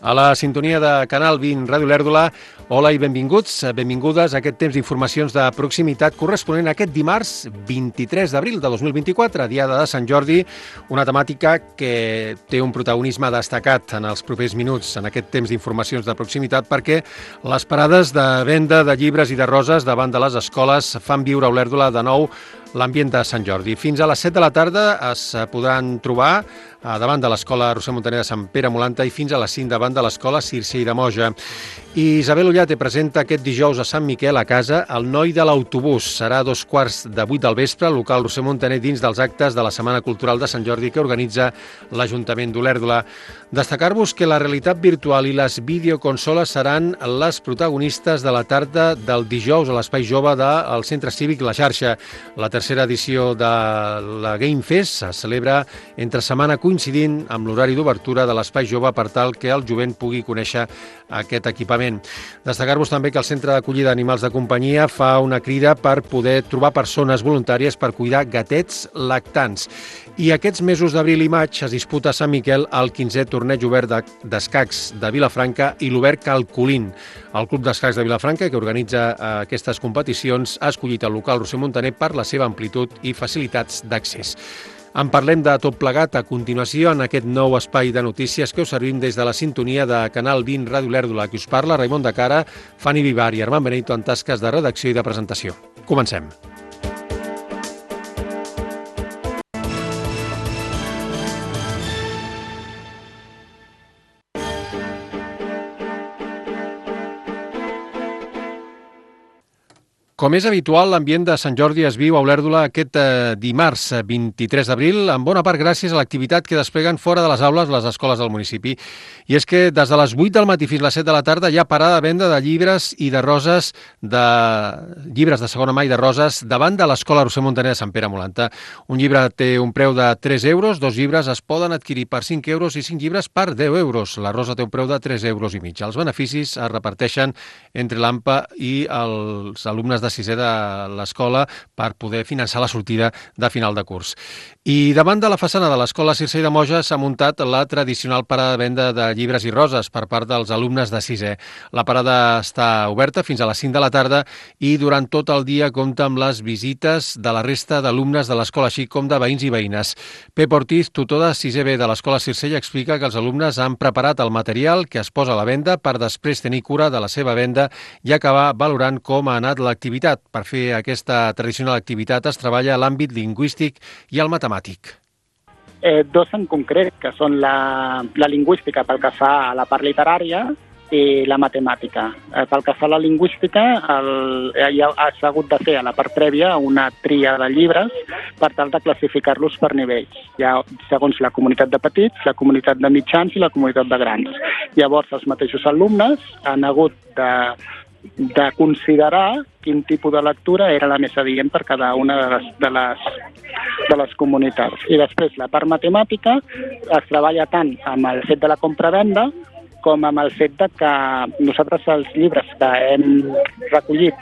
A la sintonia de Canal 20 Ràdio Lèrdula, hola i benvinguts, benvingudes a aquest temps d'informacions de proximitat corresponent a aquest dimarts 23 d'abril de 2024, diada de Sant Jordi, una temàtica que té un protagonisme destacat en els propers minuts en aquest temps d'informacions de proximitat perquè les parades de venda de llibres i de roses davant de les escoles fan viure a Olèrdola de nou l'ambient de Sant Jordi. Fins a les 7 de la tarda es podran trobar davant de l'Escola Roser Montaner de Sant Pere Molanta i fins a les 5 davant de l'Escola Circell de Moja. I Isabel Ullate presenta aquest dijous a Sant Miquel a casa El noi de l'autobús. Serà a 7:15 del vespre al local Roser Montaner dins dels actes de la Setmana Cultural de Sant Jordi que organitza l'Ajuntament d'Olèrdola. Destacar-vos que la realitat virtual i les videoconsoles seran les protagonistes de la tarda del dijous a l'Espai Jove del Centre Cívic La Xarxa. La tercera edició de la Game Fest se celebra entre setmana coincidint amb l'horari d'obertura de l'Espai Jove per tal que el jovent pugui conèixer aquest equipament. Destacar-vos també que el Centre d'Acollida d'Animals de Companyia fa una crida per poder trobar persones voluntàries per cuidar gatets lactants. I aquests mesos d'abril i maig es disputa a Sant Miquel el 15è torneig obert d'escacs de Vilafranca i l'Obert Calcolín. El Club d'Escacs de Vilafranca, que organitza aquestes competicions, ha escollit el local Roser Montaner per la seva amplitud i facilitats d'accés. En parlem de tot plegat a continuació en aquest nou espai de notícies que us servim des de la sintonia de Canal 20 Ràdio Lèrdula, que us parla Raimon de Cara, Fanny Vivar i Armand Benito en tasques de redacció i de presentació. Comencem. Com és habitual, l'ambient de Sant Jordi es viu a Olèrdola aquest dimarts 23 d'abril, en bona part gràcies a l'activitat que despleguen fora de les aules les escoles del municipi. I és que des de les 8 del matí fins a les 7 de la tarda hi ha parada de venda de llibres i de roses, llibres de segona mà i de roses, davant de l'Escola Roser Montaner de Sant Pere Molanta. Un llibre té un preu de 3 euros, 2 llibres es poden adquirir per 5 euros i 5 llibres per 10 euros. La rosa té un preu de 3 euros i mig. Els beneficis es reparteixen entre l'AMPA i els alumnes de sisè de l'escola per poder finançar la sortida de final de curs. I davant de la façana de l'Escola Circell de Moja s'ha muntat la tradicional parada de venda de llibres i roses per part dels alumnes de sisè. La parada està oberta fins a les 5 de la tarda i durant tot el dia compta amb les visites de la resta d'alumnes de l'escola, així com de veïns i veïnes. Pep Ortiz, tutor de 6è B de l'Escola Circell, explica que els alumnes han preparat el material que es posa a la venda per després tenir cura de la seva venda i acabar valorant com ha anat l'activitat. Per fer aquesta tradicional activitat es treballa a l'àmbit lingüístic i el matemàtic. Dos en concret, que són la lingüística pel que fa a la part literària i la matemàtica. Pel que fa a la lingüística, s'ha hagut de fer a la part prèvia una tria de llibres per tal de classificar-los per nivells. Hi ha, segons la comunitat de petits, la comunitat de mitjans i la comunitat de grans. Llavors, els mateixos alumnes han hagut de considerar quin tipus de lectura era la més adient per cada una de les comunitats. I després, la part matemàtica es treballa tant amb el fet de la compra-venda com amb el fet de que nosaltres els llibres que hem recollit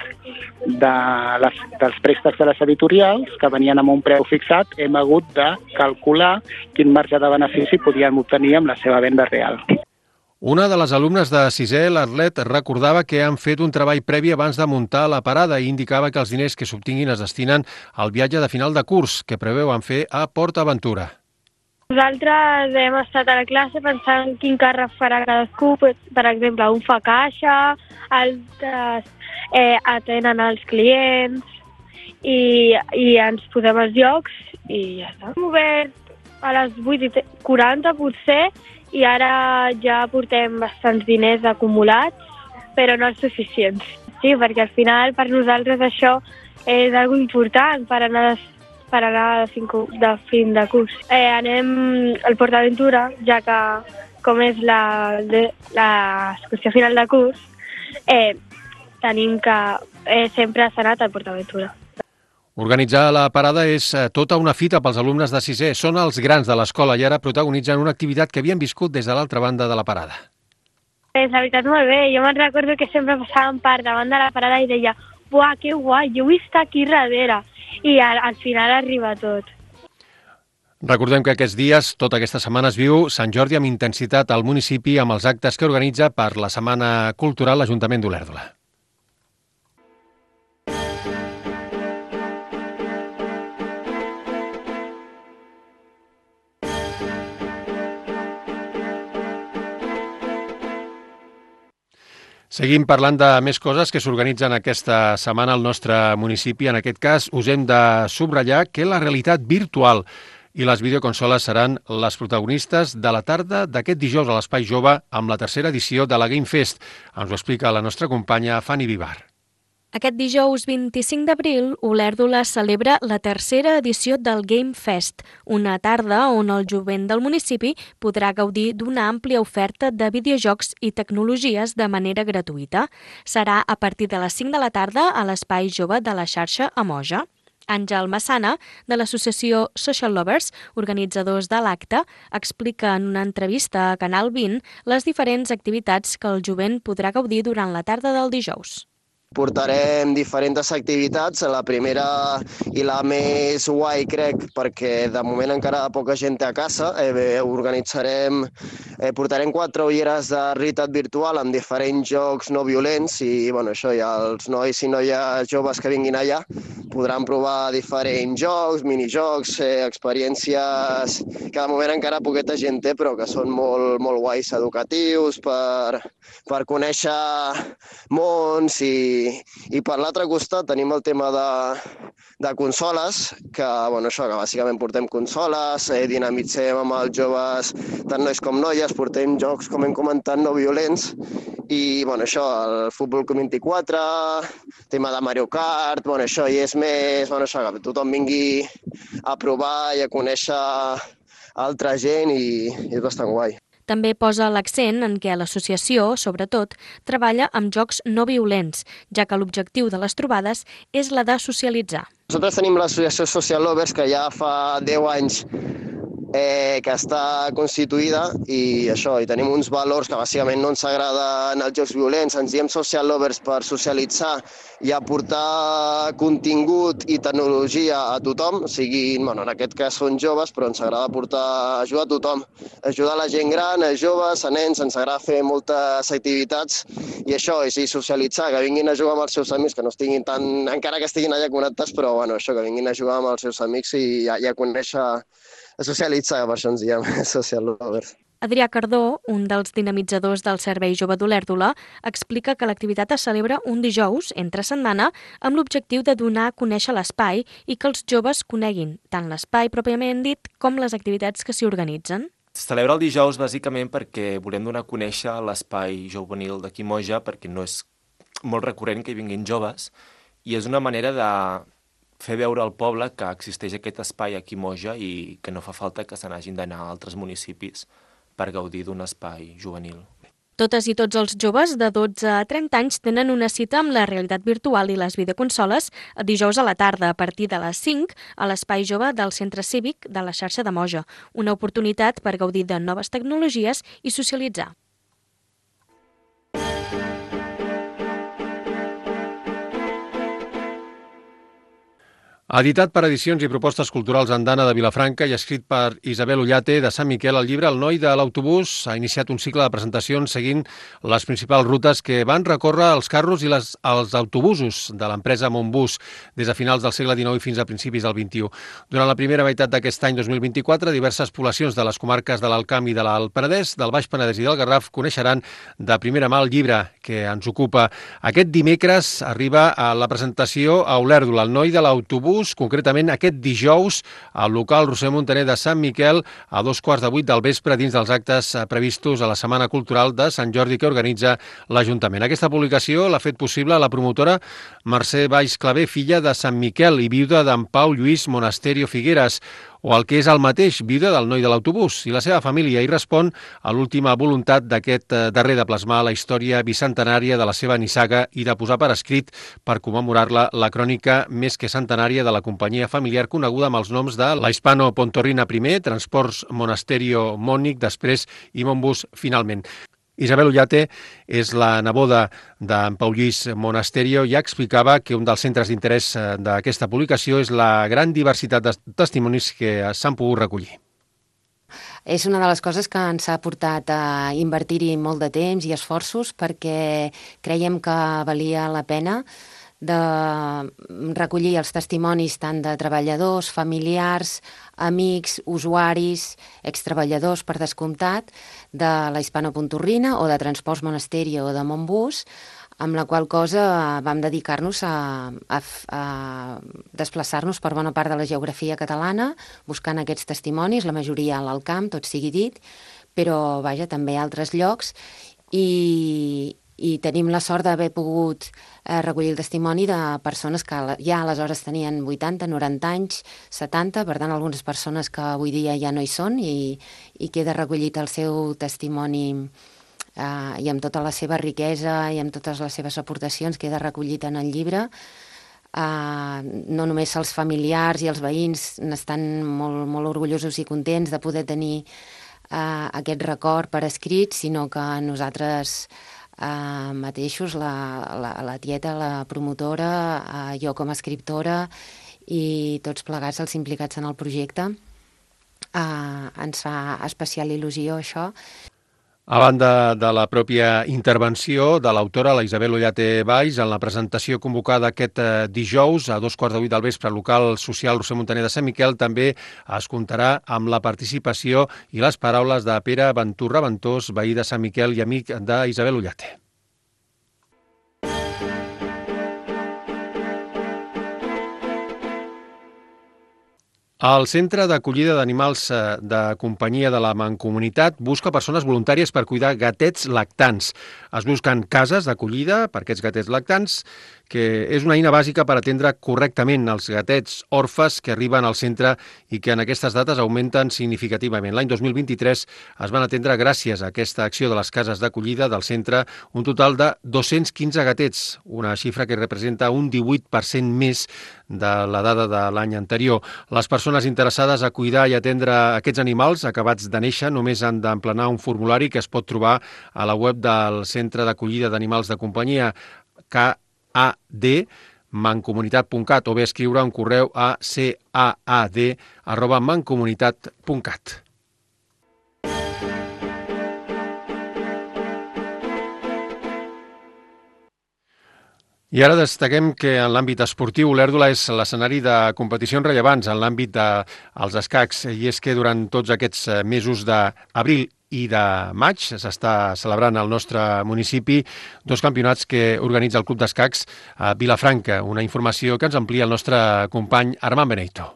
dels préstecs de les editorials, que venien amb un preu fixat, hem hagut de calcular quin marge de benefici podíem obtenir amb la seva venda real. Una de les alumnes de sisè, l'Arlet, recordava que han fet un treball previ abans de muntar la parada i indicava que els diners que s'obtinguin es destinen al viatge de final de curs que preveuen fer a Port Aventura. Nosaltres hem estat a la classe pensant quin càrrec farà cadascú. Per exemple, un fa caixa, altres atenen els clients i ens posem els llocs i ja està. Hem obert a les 8:40 potser, i ara ja portem bastants diners acumulats, però no els suficients. Sí, perquè al final per nosaltres això és algo important per anar de fin de curs. Anem al Port Aventura, ja que com és l'excursió final de curs, tenim que sempre s'ha anat al Port Aventura. Organitzar la parada és tota una fita pels alumnes de sisè. Són els grans de l'escola i ara protagonitzen una activitat que havien viscut des de l'altra banda de la parada. La veritat, molt bé. Jo me'n recordo que sempre passàvem per davant de la parada i deia «Buah, que guai, jo vull estar aquí darrere». I al final arriba tot. Recordem que aquests dies, tota aquesta setmana, es viu Sant Jordi amb intensitat al municipi amb els actes que organitza per la Setmana Cultural l'Ajuntament d'Olèrdola. Seguim parlant de més coses que s'organitzen aquesta setmana al nostre municipi. En aquest cas, us hem de subratllar que la realitat virtual i les videoconsoles seran les protagonistes de la tarda d'aquest dijous a l'Espai Jove amb la tercera edició de la Game Fest. Ens ho explica la nostra companya Fanny Vivar. Aquest dijous 25 d'abril, Olèrdola celebra la tercera edició del Game Fest, una tarda on el jovent del municipi podrà gaudir d'una àmplia oferta de videojocs i tecnologies de manera gratuïta. Serà a partir de les 5 de la tarda a l'Espai Jove de la xarxa Amoja. Àngel Massana, de l'associació Social Lovers, organitzadors de l'acte, explica en una entrevista a Canal 20 les diferents activitats que el jovent podrà gaudir durant la tarda del dijous. Portarem diferents activitats, la primera i la més guai, crec, perquè de moment encara poca gent té a casa. Portarem 4 ulleres de realitat virtual amb diferents jocs no violents i això ja els nois i noies joves que vinguin allà podran provar diferents jocs, minijocs, experiències que de moment encara poqueta gent té, però que són molt, molt guais, educatius, per conèixer mons i per l'altre costat tenim el tema de consoles, que bàsicament portem consoles, dinamitzem amb els joves, tant nois com noies, portem jocs, com hem comentat, no violents, i el futbol 24, tema de Mario Kart, i és més, que tothom vingui a provar i a conèixer altra gent i és bastant guai. També posa l'accent en què l'associació, sobretot, treballa amb jocs no violents, ja que l'objectiu de les trobades és la de socialitzar. Nosaltres tenim l'associació Social Lovers, que ja fa 10 anys que està constituïda i tenim uns valors que bàsicament no ens agraden els jocs violents. Ens diem Social Lovers per socialitzar i aportar contingut i tecnologia a tothom, en aquest cas són joves, però ens agrada ajudar a tothom, ajudar la gent gran, a joves, a nens, ens agrada fer moltes activitats i socialitzar, que vinguin a jugar amb els seus amics, que no estiguin encara que estiguin allà connectats, però que vinguin a jugar amb els seus amics i a conèixer, a socialitzar, per això ens diem Social Lovers. Adrià Cardó, un dels dinamitzadors del Servei Jove d'Olèrdola, explica que l'activitat es celebra un dijous, entre setmana, amb l'objectiu de donar a conèixer l'espai i que els joves coneguin tant l'espai pròpiament dit com les activitats que s'hi organitzen. Es celebra el dijous bàsicament perquè volem donar a conèixer l'espai juvenil d'aquí Moja, perquè no és molt recurrent que hi vinguin joves i és una manera de fer veure al poble que existeix aquest espai aquí a Moja i que no fa falta que se n'hagin d'anar a altres municipis per gaudir d'un espai juvenil. Totes i tots els joves de 12 a 30 anys tenen una cita amb la realitat virtual i les videoconsoles el dijous a la tarda a partir de les 5 a l'Espai Jove del Centre Cívic de la xarxa de Moja, una oportunitat per gaudir de noves tecnologies i socialitzar. Editat per Edicions i Propostes Culturals Andana de Vilafranca i escrit per Isabel Ullate de Sant Miquel, el llibre El noi de l'autobús ha iniciat un cicle de presentacions seguint les principals rutes que van recórrer els carros i els autobusos de l'empresa Montbus des de finals del segle XIX fins a principis del XXI. Durant la primera meitat d'aquest any 2024, diverses poblacions de les comarques de l'Alt Camp i de l'Alt Penedès, del Baix Penedès i del Garraf coneixeran de primera mà el llibre que ens ocupa. Aquest dimecres arriba a la presentació a Olèrdola, El noi de l'autobús, concretament aquest dijous al local Roser Montaner de Sant Miquel a 7:15 del vespre dins dels actes previstos a la Setmana Cultural de Sant Jordi que organitza l'Ajuntament. Aquesta publicació l'ha fet possible la promotora Mercè Valls Clavé, filla de Sant Miquel i viuda d'en Pau Lluís Monasterio Figueres, o el que és el mateix, viuda del noi de l'autobús, i la seva família hi respon a l'última voluntat d'aquest darrer de plasmar la història bicentenària de la seva nissaga i de posar per escrit, per commemorar-la, la crònica més que centenària de la companyia familiar coneguda amb els noms de la Hispano Pontorrina primer, Transports Monasterio Mònic després i Montbus finalment. Isabel Ullate és la neboda d'en Pau Lluís Monasterio i explicava que un dels centres d'interès d'aquesta publicació és la gran diversitat de testimonis que s'han pogut recollir. És una de les coses que ens ha portat a invertir-hi molt de temps i esforços perquè creiem que valia la pena de recollir els testimonis tant de treballadors, familiars, amics, usuaris, extreballadors per descomptat, de la Hispano-Pontorrina o de Transports Monasterio o de Montbus, amb la qual cosa vam dedicar-nos a desplaçar-nos per bona part de la geografia catalana, buscant aquests testimonis, la majoria a l'Alt Camp, tot sigui dit, però vaja, també a altres llocs, i tenim la sort d'haver pogut recollir el testimoni de persones que ja aleshores tenien 80, 90 anys, 70, per tant algunes persones que avui dia ja no hi són i queda recollit el seu testimoni i amb tota la seva riquesa i amb totes les seves aportacions queda recollit en el llibre. No només els familiars i els veïns n'estan molt, molt orgullosos i contents de poder tenir aquest record per escrit, sinó que nosaltres mateixos, la tieta, la promotora, jo com a escriptora i tots plegats els implicats en el projecte, ens fa especial il·lusió això. A banda de la pròpia intervenció de l'autora, la Isabel Ullate Valls, en la presentació convocada aquest dijous a 7:15 del vespre al local social Roser Montaner de Sant Miquel, també es comptarà amb la participació i les paraules de Pere Venturra Ventós, veí de Sant Miquel i amic d'Isabel Ullate. El Centre d'Acollida d'Animals de Companyia de la Mancomunitat busca persones voluntàries per cuidar gatets lactants. Es busquen cases d'acollida per aquests gatets lactants, que és una eina bàsica per atendre correctament els gatets orfes que arriben al centre i que en aquestes dates augmenten significativament. L'any 2023 es van atendre, gràcies a aquesta acció de les cases d'acollida del centre, un total de 215 gatets, una xifra que representa un 18% més de la dada de l'any anterior. Les persones interessades a cuidar i atendre aquests animals acabats de néixer només han d'emplenar un formulari que es pot trobar a la web del Centre d'Acollida d'Animals de Companyia, CAAD-mancomunitat.cat, o bé escriure un correu a caad@mancomunitat.cat. I ara destaquem que en l'àmbit esportiu l'Èrdola és l'escenari de competicions rellevants en l'àmbit dels escacs, i és que durant tots aquests mesos d'abril i de maig s'està celebrant al nostre municipi dos campionats que organitza el Club d'Escacs a Vilafranca, una informació que ens amplia el nostre company Armand Benito.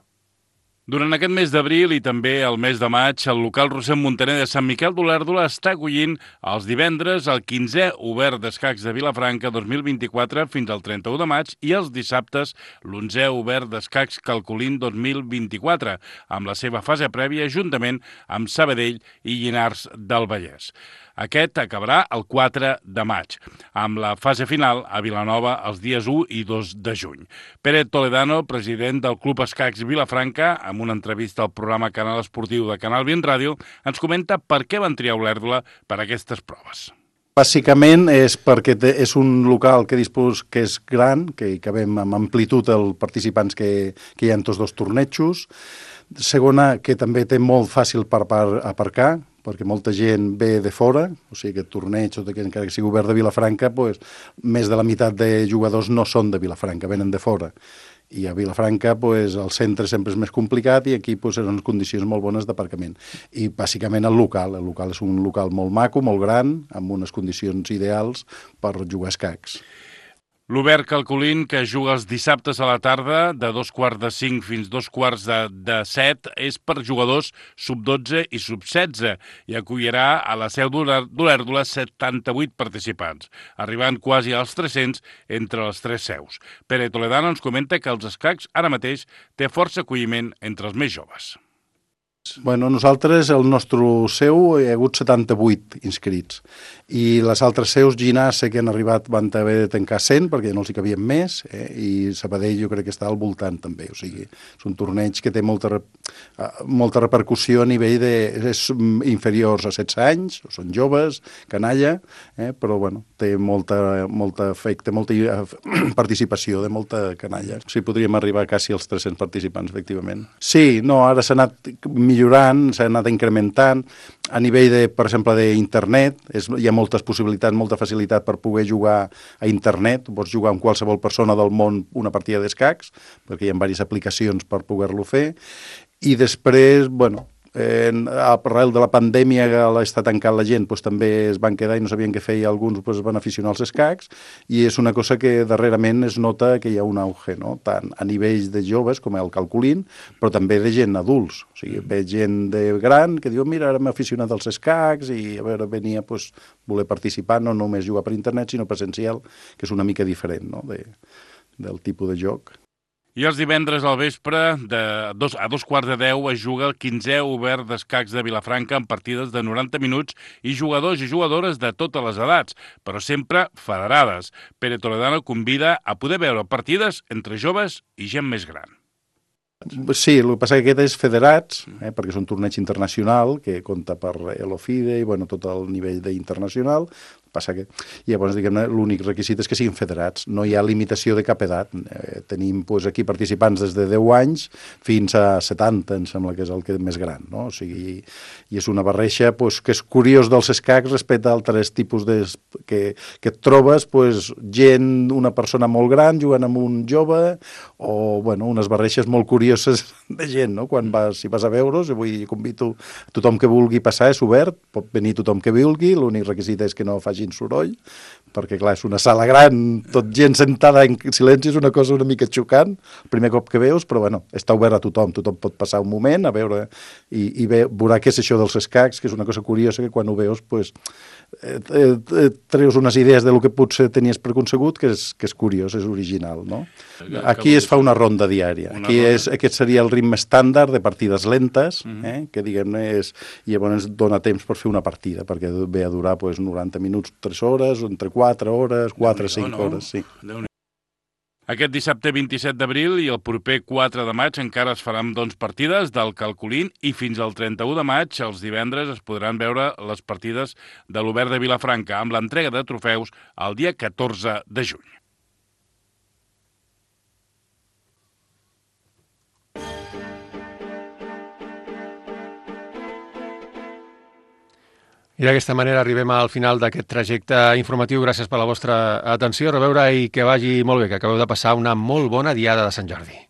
Durant aquest mes d'abril i també el mes de maig, el local Roser Montaner de Sant Miquel d'Olèrdola està acollint els divendres el 15è Obert d'Escacs de Vilafranca 2024 fins al 31 de maig i els dissabtes l'11è Obert d'Escacs Calcolín 2024, amb la seva fase prèvia juntament amb Sabadell i Llinars del Vallès. Aquest acabarà el 4 de maig, amb la fase final a Vilanova els dies 1 i 2 de juny. Pere Toledano, president del Club Escacs Vilafranca, amb una entrevista al programa Canal Esportiu de Canal 20 Ràdio, ens comenta per què van triar Olèrdola per a aquestes proves. Bàsicament és perquè és un local que és gran, que hi cabem amb amplitud els participants que hi ha en tots dos tornejos. Segona, que també té molt fàcil per aparcar, perquè molta gent ve de fora, o sigui, aquest torneig, encara que sigui obert de Vilafranca, més de la meitat de jugadors no són de Vilafranca, venen de fora. I a Vilafranca el centre sempre és més complicat i aquí eren condicions molt bones d'aparcament. I bàsicament el local és un local molt maco, molt gran, amb unes condicions ideals per jugar a escacs. L'Obert Calcolín, que juga els dissabtes a la tarda, de 2:45 fins 2:45, és per jugadors sub-12 i sub-16 i acollirà a la seu d'Olèrdola 78 participants, arribant quasi als 300 entre les tres seus. Pere Toledano ens comenta que els escacs ara mateix té força acolliment entre els més joves. Bueno, nosaltres, el nostre seu, hi ha hagut 78 inscrits. I les altres seus, Ginàs, que han arribat, van haver de tancar 100 perquè no els hi cabien més, i Sabadell jo crec que està al voltant també. O sigui, és un torneig que té molta repercussió a nivell de... és inferiors a 16 anys, són joves, canalla, però bueno, té molta efecte, molta participació de molta canalla. O sigui, podríem arribar quasi als 300 participants, efectivament. Sí, no, ara s'ha anat millorant, s'ha anat incrementant. A nivell, per exemple, d'internet, hi ha moltes possibilitats, molta facilitat per poder jugar a internet. Pots jugar amb qualsevol persona del món una partida d'escacs, perquè hi ha diverses aplicacions per poder-lo fer. I després, bueno, arrel de la pandèmia que està tancant la gent, doncs també es van quedar i no sabien què fer i alguns es van aficionar als escacs, i és una cosa que darrerament es nota que hi ha un auge, no? Tant a nivells de joves com el calculín, però també de gent adults. O sigui, ve gent de gran que diu, mira, ara m'he aficionat als escacs i a veure, venia voler participar, no només jugar per internet, sinó presencial, que és una mica diferent, no? Del tipus de joc. I els divendres al vespre, a 2:15 es juga el 15è obert d'escacs de Vilafranca en partides de 90 minuts i jugadors i jugadores de totes les edats, però sempre federades. Pere Toledano convida a poder veure partides entre joves i gent més gran. Sí, el que passa que aquest és federats, perquè és un torneig internacional que compta per l'OFIDE i bueno, tot el nivell d'internacional. Passa que, llavors, diguem-ne, l'únic requisit és que siguin federats. No hi ha limitació de cap edat. Tenim aquí participants des de 10 anys fins a 70, em sembla que és el que més gran, no? O sigui, i és una barreja que és curiós dels escacs respecte a altres tipus que et trobes, gent, una persona molt gran jugant amb un jove, o, bueno, unes barreixes molt curioses de gent, no? Si vas a veure's, vull convido tothom que vulgui passar, és obert, pot venir tothom que vulgui, l'únic requisit és que no faci soroll, perquè clar, és una sala gran, tot gent sentada en silenci, és una cosa una mica xocant, el primer cop que veus, però bueno, està obert a tothom pot passar un moment a veure i veurà què és això dels escacs, que és una cosa curiosa que quan ho veus, treus unes idees del que potser tenies preconcegut, que és curiós, és original, no? Aquí es fa una ronda diària. Aquest seria el ritme estàndard de partides lentes, que diguem-ne i llavors dona temps per fer una partida, perquè ve a durar 90 minuts, 3 hores, entre 4 hores, 4 a 5 hores, sí. Aquest dissabte 27 d'abril i el proper 4 de maig encara es faran partides del calculín i fins al 31 de maig, els divendres, es podran veure les partides de l'Obert de Vilafranca amb l'entrega de trofeus el dia 14 de juny. I d'aquesta manera arribem al final d'aquest trajecte informatiu. Gràcies per la vostra atenció. A reveure i que vagi molt bé, que acabeu de passar una molt bona diada de Sant Jordi.